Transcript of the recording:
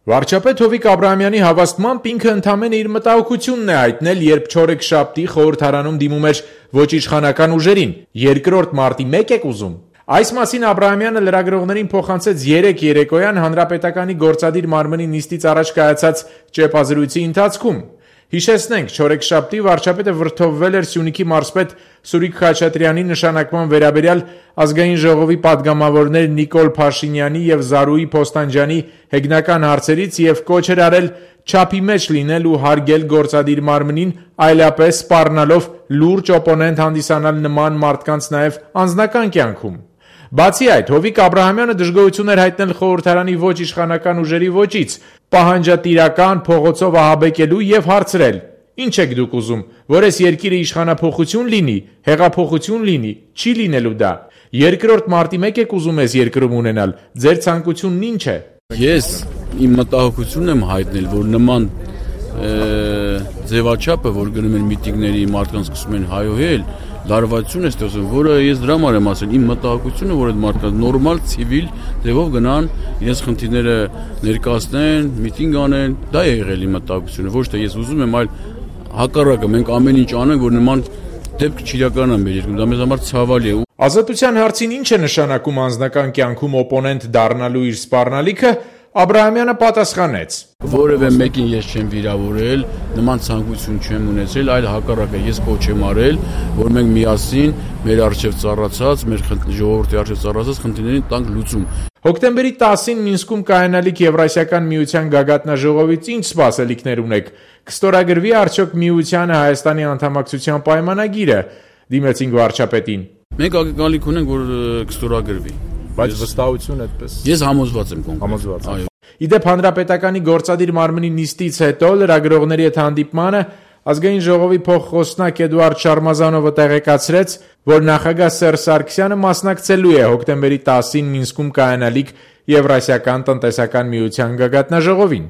Վարչապետ Հովիկ Աբրահամյանի հավաստմամբ ինքը ընդամենը իր մտահոգությունն է հայտնել, երբ չորեքշաբթի խորհրդարանում դիմում էր ոչ իշխանական ուժերին. երկրորդ մարտի 1 եք ուզում։ Այս մասին Աբրահամյանը լրագրողներին փոխանցեց 3 երեկոյան Հանրապետականի գործադիր մարմնի նիստից առաջ կայացած ճեպազրույցի ընթացքում։ Հիշեցնենք, չորեքշաբթի վարչապետը վրդովվել էր Սյունիքի մարզպետ Սուրիկ Խաչատրյանի նշանակման վերաբերյալ ազգային ժողովի պատգամավորներ Նիկոլ Փաշինյանի եւ Զարուհի Փոստանջյանի հեգնական հարցերից եւ կոչ էր արել չափի մեջ լինել ու հարգել գործադիր մարմնին, այլապես սպառնալով լուրջ օպոնենտ հանդիսանալ նման մարդկանց նաեւ անձնական կյանքում։ Բացի այդ, Հովիկ Աբրահամյանը դժգոհություն էր հայտնել խորհրդարանի ոչ իշխանական ուժերի ոճից, պահանջատիրական փողոցով ահաբեկելու եւ հարցրել. Ինչ եք դուք ուզում, որ այս երկիրը իշխանափոխություն լինի, հեղափոխություն լինի, չի լինելու դա։ Երկրորդ մարտի 1 եք ուզում այս երկրում ունենալ, ձեր ցանկությունն ինչ է։ Ես իմ մտահոգությունն եմ հայտնել, որ նման ձևաչափը, որ գնում են միտինգների, մարդկանց սկսում են հայոհել, լարվածություն է ստեղծում, որը ես դրա համար եմ ասել, իմ մտահոգությունը, որ այդ մարդկանց նորմալ ցիվիլ ձևով գնան, իրենց խնդիրները ներկայացնեն, միտինգ անեն, դա է եղել իմ մտահոգությունը, ոչ թե ես ուզում եմ, այլ հակառակը, մենք ամեն ինչ անենք, որ նման դեպք չիրականանա մեր երկրում, դա մեզ համար ցավալի է։ Ազատության հարցին ինչ է նշանակում անձնական կյանքում օպոնենտ դառնալու իր սպառնալիքը, Աբրահամյանը պատասխանեց. Որևէ մեկին ես չեմ վիրավորել, նման ցանկություն չեմ ունեցել, այլ հակառակը ես կոչ եմ արել, որ մենք միասին մեր արժեվ ծառացած, մեր ժողովրդի արժեվ ծառացած խնդիրներին տանք լուծում։ Հոկտեմբերի 10-ին Մինսկում կայանալիք Եվրասիական միության գագաթնաժողովից ինչ սպասելիքներ ունեք։ Կստորագրվի արդյոք միությանը Հայաստանի անդամակցության պայմանագիրը, դիմեցինք վարչապետին։ Մենք ակնկալիք ունենք, որ կստորագրվի։ Բայց վստահություն այդպես։ Ես համոզված եմ կոնկրետ։ Համոզված։ Այո։ Իդեպ Հանրապետականի գործադիր մարմնի նիստից հետո լրագրողների հետ հանդիպմանը ազգային ժողովի փոխխոսնակ Էդուարդ Շարմազանովը տեղեկացրեց, որ նախագահ Սերժ Սարգսյանը մասնակցելու է հոկտեմբերի 10-ին Մինսկում կայանալիք Եվրասիական տնտեսական միության գագաթնաժողովին։